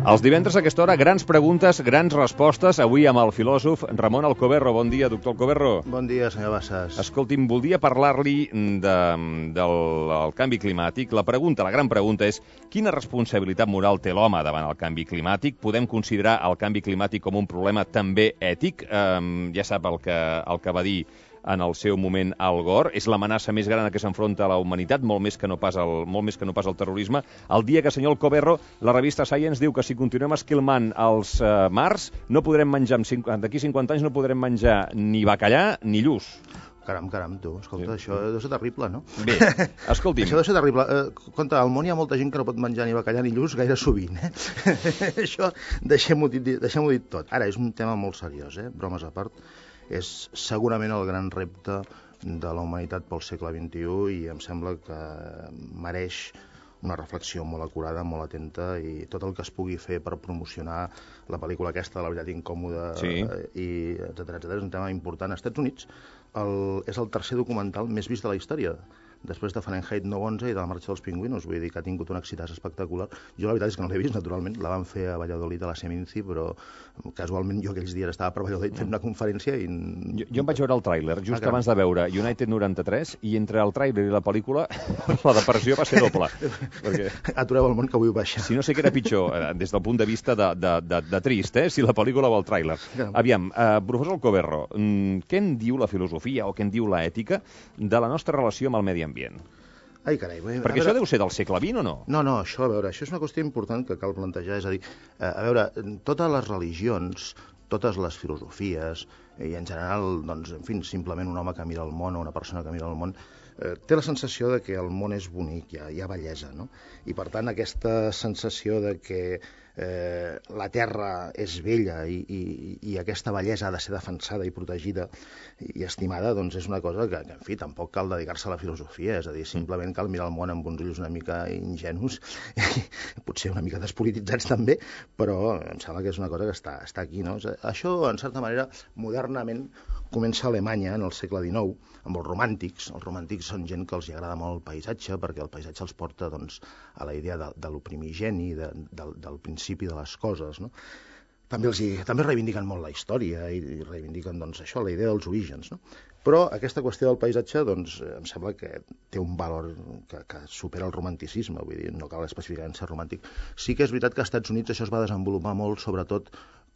Els divendres a aquesta hora, grans preguntes, grans respostes. Avui amb el filòsof Ramon Alcoberro. Bon dia, doctor Alcoberro. Bon dia, senyor Bassas. Escolti'm, voldria parlar-li del canvi climàtic. La gran pregunta és: quina responsabilitat moral té l'home davant el canvi climàtic? Podem considerar el canvi climàtic com un problema també ètic? Ja sap el que va dir en el seu moment Al Gore. És l'amenaça més gran a què s'enfronta la humanitat, molt més que no pas el terrorisme. El dia que, senyor Alcoberro, la revista Science diu que si continuem esquilmant els mars, no podrem menjar, d'aquí 50 anys no podrem menjar ni bacallà ni lluç. Caram, tu. Escolta, això deu ser terrible, no? Bé, escolti'm. Això deu ser terrible. Compte, al món hi ha molta gent que no pot menjar ni bacallà ni lluç gaire sovint, Això, deixem-ho dit tot. Ara, és un tema molt seriós, Bromes a part. És segurament el gran repte de la humanitat pel segle XXI i em sembla que mereix una reflexió molt acurada, molt atenta, i tot el que es pugui fer per promocionar la pel·lícula aquesta de La veritat incòmoda, sí, i etcètera, és un tema important. Als Estats Units és el tercer documental més vist de la història, després de Fahrenheit 9/11 i de La marxa dels pingüinos. Vull dir que ha tingut un èxit espectacular. Jo la veritat és que no l'he vist, naturalment. La van fer a Valladolid, a la Seminci, però casualment jo aquells dies estava per Valladolid fent una conferència i... Jo em vaig veure el tràiler just abans de veure United 93 i entre el tràiler i la pel·lícula la depressió va ser doble. Perquè... Atureu el món que vull baixar. Si no sé què era pitjor, des del punt de vista de trist, si la pel·lícula o el tràiler. Aviam, professor Alcoberro, què en diu la filosofia o què en diu l'ètica de la nostra relació amb el medi ambient? Ai, carai. Perquè això deu ser del segle XX o no? No, això és una qüestió important que cal plantejar. És a dir, totes les religions, totes les filosofies, i en general, doncs, en fi, simplement un home que mira el món o una persona que mira el món, té la sensació de que el món és bonic, hi ha bellesa, no? I per tant aquesta sensació de que la Terra és bella i aquesta bellesa ha de ser defensada i protegida i estimada, doncs és una cosa que, en fi, tampoc cal dedicar-se a la filosofia, és a dir, simplement cal mirar el món amb uns ulls una mica ingenus, potser una mica despolititzats també, però em sembla que és una cosa que està aquí, no? Això, en certa manera, modernament comença a Alemanya en el segle XIX, amb els romàntics. Els romàntics són gent que els agrada molt el paisatge, perquè el paisatge els porta, doncs, a la idea de lo primigeni, del principi de les coses, no? També reivindiquen molt la història i reivindiquen, doncs, això, la idea dels orígens, no? Però aquesta qüestió del paisatge, doncs, em sembla que té un valor que supera el romanticisme, vull dir, no cal específicament ser romàntic. Sí que és veritat que als Estats Units això es va desenvolupar molt, sobretot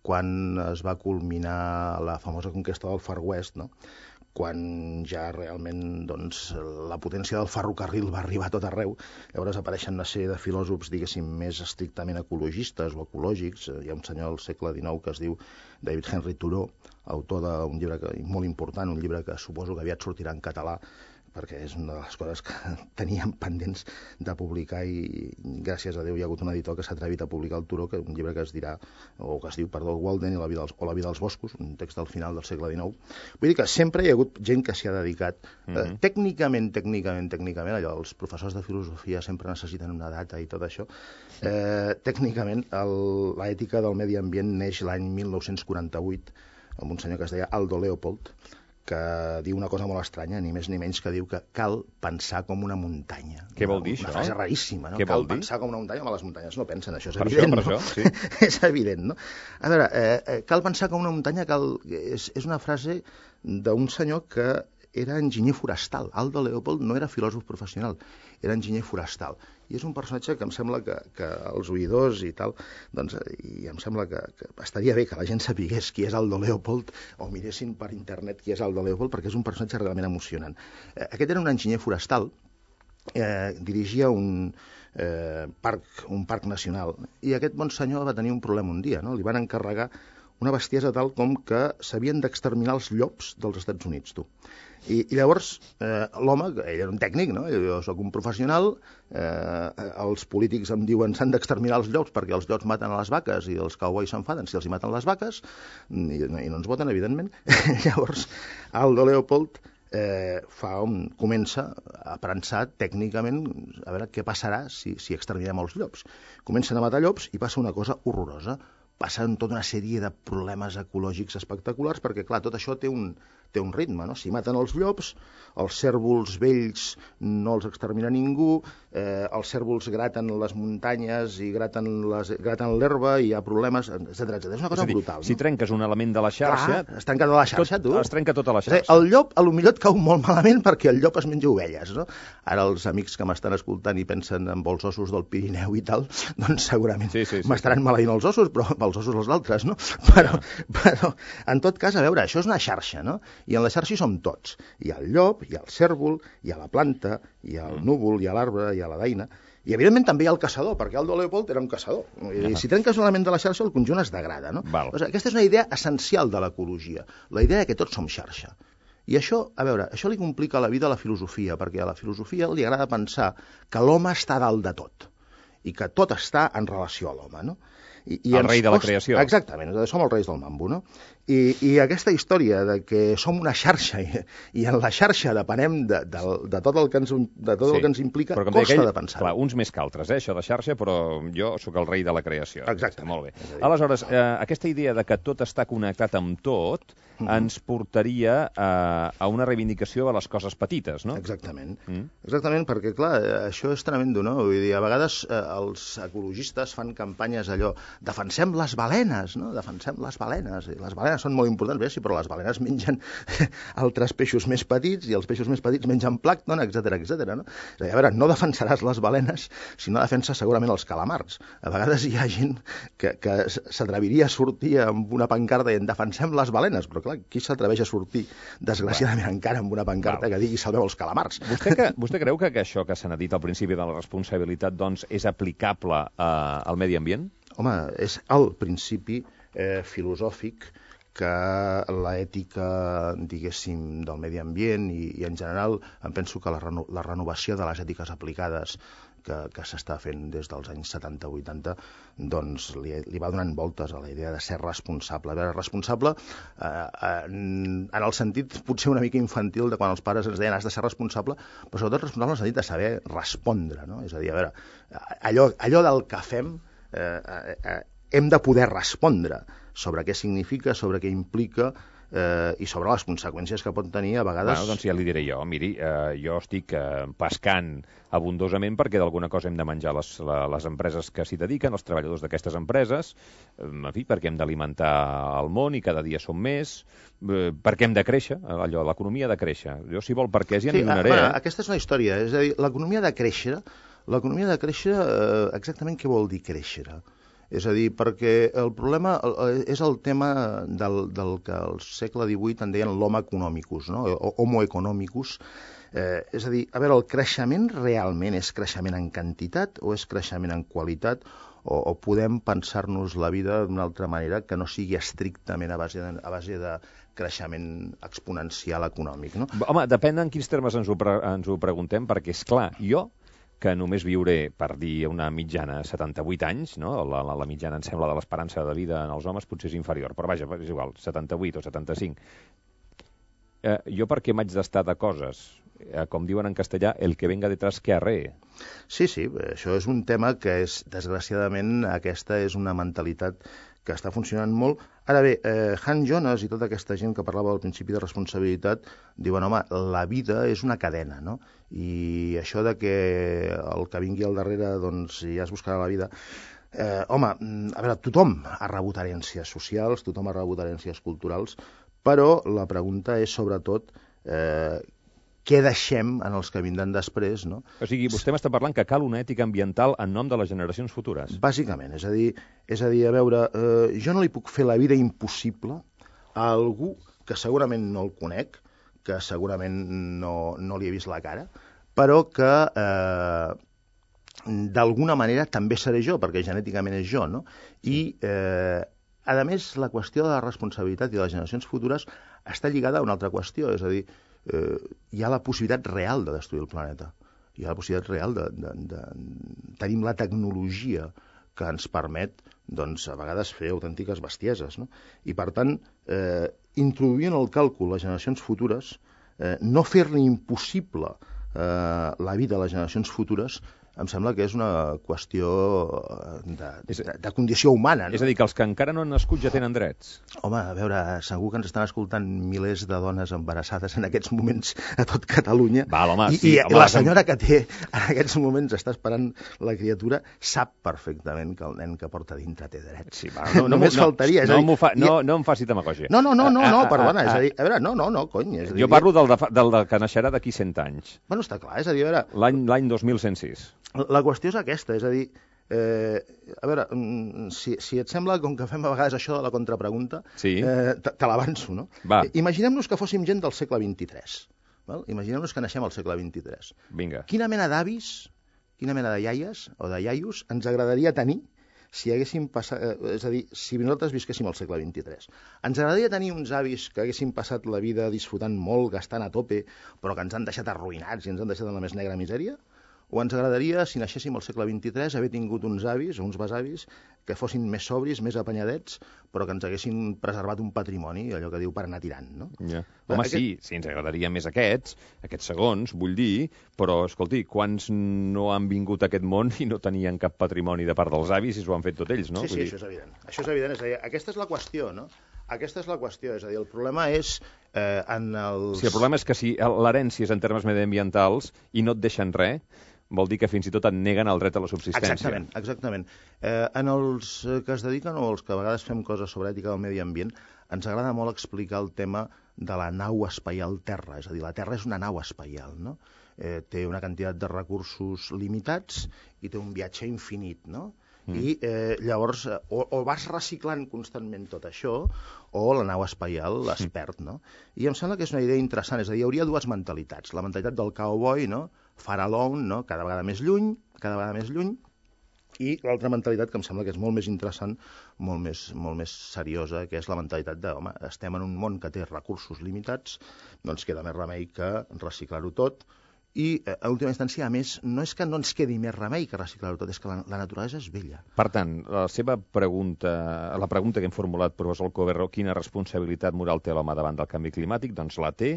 quan es va culminar la famosa conquesta del Far West, no? Quan ja realment, doncs, la potència del ferrocarril va arribar a tot arreu. Llavors apareixen una sèrie de filòsofs, diguéssim, més estrictament ecologistes o ecològics. Hi ha un senyor al segle XIX que es diu David Henry Thoreau, autor d'un llibre molt important, un llibre que suposo que aviat sortirà en català, perquè és una de les coses que teníem pendents de publicar i gràcies a Déu hi ha hagut un editor que s'ha atrevit a publicar el Thoreau, que un llibre que es diu Walden i la vida dels boscos, un text del final del segle XIX. Vull dir que sempre hi ha hagut gent que s'hi ha dedicat. Tècnicament, allò, els professors de filosofia sempre necessiten una data i tot això. Tècnicament, l'ètica del medi ambient neix l'any 1948 amb un senyor que es deia Aldo Leopold, que diu una cosa molt estranya, ni més ni menys, que diu que cal pensar com una muntanya. Què vol dir, això? Una frase raríssima, no? Cal pensar com una muntanya, home, les muntanyes no pensen, això és evident, no? Sí. És evident, no? A veure, cal pensar com una muntanya, és una frase d'un senyor que era enginyer forestal. Aldo Leopold no era filòsof professional, era enginyer forestal. I és un personatge que em sembla que els oïdors i tal, doncs, i em sembla que estaria bé que la gent sapigués qui és Aldo Leopold o miressin per internet qui és Aldo Leopold, perquè és un personatge realment emocionant. Aquest era un enginyer forestal, dirigia un parc nacional, i aquest bon senyor va tenir un problema un dia, no? Li van encarregar una bestiesa tal com que s'havien d'exterminar els llops dels Estats Units, tu. I llavors l'home, ell era un tècnic, no? Jo soc un professional, els polítics em diuen s'han d'exterminar els llops perquè els llops maten a les vaques i els cowboys s'enfaden si els hi maten les vaques i no ens voten, evidentment. Llavors Aldo Leopold comença a pensar tècnicament a veure què passarà si exterminem els llops. Comencen a matar llops i passa una cosa horrorosa. Passen tota una sèrie de problemes ecològics espectaculars perquè, clar, tot això té un té un ritme, no? Si maten els llops, els cérvols vells no els extermina ningú, els cérvols graten les muntanyes i graten l'herba i hi ha problemes, etc. És una cosa brutal. Si trenques un element de la xarxa... Clar, es trenca de la xarxa, tu. Es trenca tota la xarxa. El llop, a lo millor et cau molt malament perquè el llop es menja ovelles, no? Ara els amics que m'estan escoltant i pensen en els ossos del Pirineu i tal, doncs segurament m'estaran maleint els ossos, però els ossos els altres, no? Però en tot cas, a veure, això és una xarxa, no? I en la xarxa hi som tots. Hi ha el llop, hi ha el cérvol, hi ha la planta, hi ha el núvol, hi ha l'arbre, hi ha la daina, i evidentment també hi ha el caçador, perquè Aldo Leopold era un caçador. I si trenques un element de la xarxa, el conjunt es degrada, no? Aquesta és una idea essencial de l'ecologia, la idea que tots som xarxa. I això, a veure, això li complica la vida a la filosofia, perquè a la filosofia li agrada pensar que l'home està dalt de tot, i que tot està en relació a l'home, no? El rei de la creació. Exactament, som els reis del mambo, no? I aquesta història de que som una xarxa i en la xarxa depenem de tot el que ens implica, costa de pensar. Clar, uns més que altres, això de xarxa, però jo sóc el rei de la creació. Exacte. Molt bé. Aleshores, aquesta idea de que tot està connectat amb tot ens portaria a una reivindicació de les coses petites, no? Exactament. Exactament, perquè, clar, això és tremendo, no? Vull dir, a vegades els ecologistes fan campanyes allò, defensem les balenes, no? Defensem les balenes. Les balenes són molt importants, bé, sí, però les balenes mengen altres peixos més petits i els peixos més petits mengen plàncton, etc. no? És a dir, a veure, no defensaràs les balenes si no defenses segurament els calamars. A vegades hi ha gent que s'atreviria a sortir amb una pancarta i en defensem les balenes, però clar, qui s'atreveix a sortir, desgraciadament encara, amb una pancarta que digui salveu els calamars? Vostè creu que això que s'ha dit al principi de la responsabilitat, doncs, és aplicable al medi ambient? Home, és el principi filosòfic que l'ètica, diguéssim, del medi ambient i en general em penso que la renovació de les ètiques aplicades que s'està fent des dels anys 70-80, doncs li va donant voltes a la idea de ser responsable. A veure, responsable en el sentit potser una mica infantil de quan els pares ens deien has de ser responsable, però sobretot responsable en el sentit de saber respondre, no? És a dir, a veure, allò del que fem hem de poder respondre sobre què significa, sobre què implica i sobre les conseqüències que pot tenir a vegades... Bueno, doncs ja li diré jo. Miri, jo estic pescant abundosament perquè d'alguna cosa hem de menjar les empreses que s'hi dediquen, els treballadors d'aquestes empreses, en fi, perquè hem d'alimentar el món i cada dia som més, perquè hem de créixer, allò, l'economia ha de créixer. Jo, si vol, perquè ja n'hi donaré. Aquesta és una història, és a dir, l'economia ha de créixer, exactament què vol dir créixer? És a dir, perquè el problema és el tema del que al segle XVIII en deien l'homo economicus, no? Homo economicus. És a dir, a veure, el creixement realment és creixement en quantitat o és creixement en qualitat o podem pensar-nos la vida d'una altra manera que no sigui estrictament a base de creixement exponencial econòmic, no? Home, depèn en quins termes ens ho preguntem, perquè, és clar, jo que només viuré, per dir una mitjana, 78 anys, no? La mitjana, em sembla, de l'esperança de vida en els homes potser és inferior, però vaja, és igual, 78 o 75. Jo per què m'haig d'estar de coses? Com diuen en castellà, el que venga detrás que arree. Sí, això és un tema que és, desgraciadament, aquesta és una mentalitat que està funcionant molt. Ara bé, Han Jonas i tota aquesta gent que parlava al principi de responsabilitat diuen, home, la vida és una cadena, no? I això de que el que vingui al darrere, doncs, ja es buscarà la vida... home, a veure, tothom ha rebut herències socials, tothom ha rebut herències culturals, però la pregunta és, sobretot, què deixem en els que vindran després, no? O sigui, vostè m'està parlant que cal una ètica ambiental en nom de les generacions futures. Bàsicament, és a dir, a veure, jo no li puc fer la vida impossible a algú que segurament no el conec, que segurament no li he vist la cara, però que d'alguna manera també seré jo, perquè genèticament és jo, no? I, a més, la qüestió de la responsabilitat i de les generacions futures està lligada a una altra qüestió, és a dir, hi ha la possibilitat real de destruir el planeta. Hi ha la possibilitat real de... Tenim la tecnologia que ens permet, doncs, a vegades fer autèntiques bestieses, no? I, per tant, introduir en el càlcul les generacions futures, no fer-li impossible la vida a les generacions futures, em sembla que és una qüestió de condició humana. No? És a dir, que els que encara no han nascut ja tenen drets. Home, a veure, segur que ens estan escoltant milers de dones embarassades en aquests moments a tot Catalunya. Val, home, I la senyora que té en aquests moments està esperant la criatura sap perfectament que el nen que porta dintre té drets. Sí, va, Només faltaria. No em faci demagògia. No, perdona, és a dir, a veure, no, cony. És a dir, jo parlo del que naixerà d'aquí 100 anys. Bueno, està clar, és a dir, a veure... L'any 2106. La qüestió és aquesta, és a dir, a veure, si et sembla, com que fem a vegades això de la contrapregunta, sí. Te l'avanço, no? Va. Imaginem-nos que fóssim gent del segle XXIII. Val? Imaginem-nos que naixem al segle XXIII. Vinga. Quina mena d'avis, quina mena de iaies o de iaios ens agradaria tenir si haguéssim passat, és a dir, si nosaltres visquéssim al segle XXIII. Ens agradaria tenir uns avis que haguessin passat la vida disfrutant molt, gastant a tope, però que ens han deixat arruïnats i ens han deixat en la més negra misèria? O ens agradaria, si naixéssim al segle XXIII, haver tingut uns avis o uns besavis que fossin més sobris, més apanyadets, però que ens haguessin preservat un patrimoni, allò que diu per anar tirant, no? Ja. Home, sí, ens agradaria més aquests segons, vull dir, però, escolti, quants no han vingut a aquest món i no tenien cap patrimoni de part dels avis i s'ho han fet tot ells, no? Sí, això és evident. Això és evident, és a dir, aquesta és la qüestió, no? Aquesta és la qüestió, és a dir, el problema és en els... Sí, el problema és que si l'herència és en termes mediambientals i no et deixen res, vol dir que fins i tot et neguen el dret a la subsistència. Exactament. En els que es dediquen o els que a vegades fem coses sobre ètica del medi ambient, ens agrada molt explicar el tema de la nau espacial Terra. És a dir, la Terra és una nau espacial, no? Té una quantitat de recursos limitats i té un viatge infinit, no? I llavors o vas reciclant constantment tot això o la nau espacial es perd, no? I em sembla que és una idea interessant, és a dir, hi hauria dues mentalitats, la mentalitat del cowboy, no? Far alone, no? Cada vegada més lluny, i l'altra mentalitat que em sembla que és molt més interessant, molt més seriosa, que és la mentalitat de, home, estem en un món que té recursos limitats, doncs queda més remei que reciclar-ho tot, i, a última instància, a més, no és que no ens quedi més remei que reciclar-ho tot, és que la naturalesa és bella. Per tant, la pregunta que hem formulat, professor Alcoberro, quina responsabilitat moral té l'home davant del canvi climàtic? Doncs la té.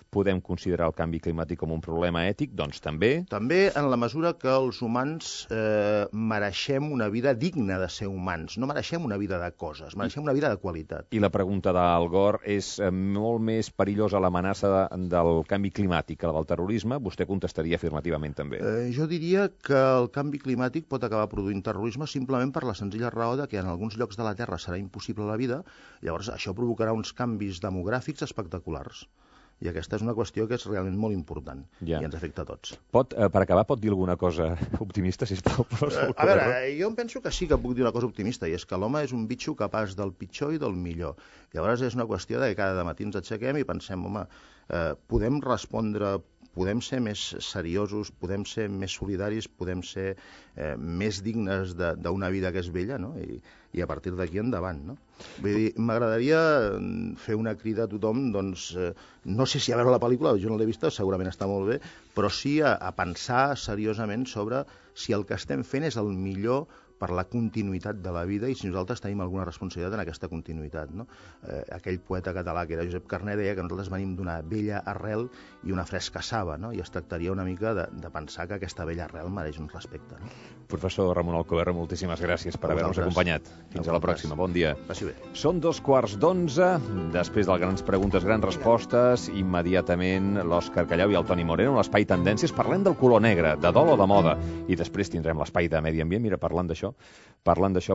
Podem considerar el canvi climàtic com un problema ètic? Doncs també. També en la mesura que els humans mereixem una vida digna de ser humans, no mereixem una vida de coses, mereixem una vida de qualitat. I la pregunta d'Al Gore és molt més perillosa l'amenaça del canvi climàtic que la del terrorisme? Vostè contestaria afirmativament també. Jo diria que el canvi climàtic pot acabar produint terrorisme simplement per la senzilla raó de que en alguns llocs de la Terra serà impossible la vida, llavors això provocarà uns canvis demogràfics espectaculars. I aquesta és una qüestió que és realment molt important i ens afecta a tots. Per acabar, pot dir alguna cosa optimista, sisplau? A veure, jo em penso que sí que puc dir una cosa optimista, i és que l'home és un bitxo capaç del pitjor i del millor. Llavors és una qüestió de que cada matí ens aixequem i pensem, home, podem respondre, podem ser més seriosos, podem ser més solidaris, podem ser més dignes d'una vida que és bella, no? I a partir d'aquí endavant, no? Vull dir, m'agradaria fer una crida a tothom, doncs, no sé si a veure la pel·lícula, jo no l'he vista, segurament està molt bé, però sí a pensar seriosament sobre si el que estem fent és el millor per la continuïtat de la vida i si nosaltres tenim alguna responsabilitat en aquesta continuïtat, no? Aquell poeta català que era Josep Carner deia que nosaltres venim d'una vella arrel i una fresca saba, no? I es tractaria una mica de pensar que aquesta vella arrel mereix un respecte, no? Professor Ramon Alcoberro, moltíssimes gràcies per haver-nos acompanyat. Fins a la pròxima. Bon dia. Passi bé. Són 2:15, després del Grans Preguntes, Grans Respostes, immediatament l'Òscar Callau i el Toni Moreno, l'Espai Tendències. Parlem del color negre, de dol o de moda, i després tindrem l'Espai de Medi Ambient. Mira, parlant d'això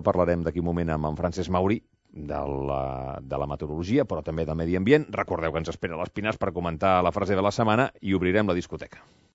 parlarem d'aquí un moment amb en Francesc Mauri, de la meteorologia, però també del medi ambient. Recordeu que ens espera l'Espinàs per comentar la frase de la setmana i obrirem la discoteca.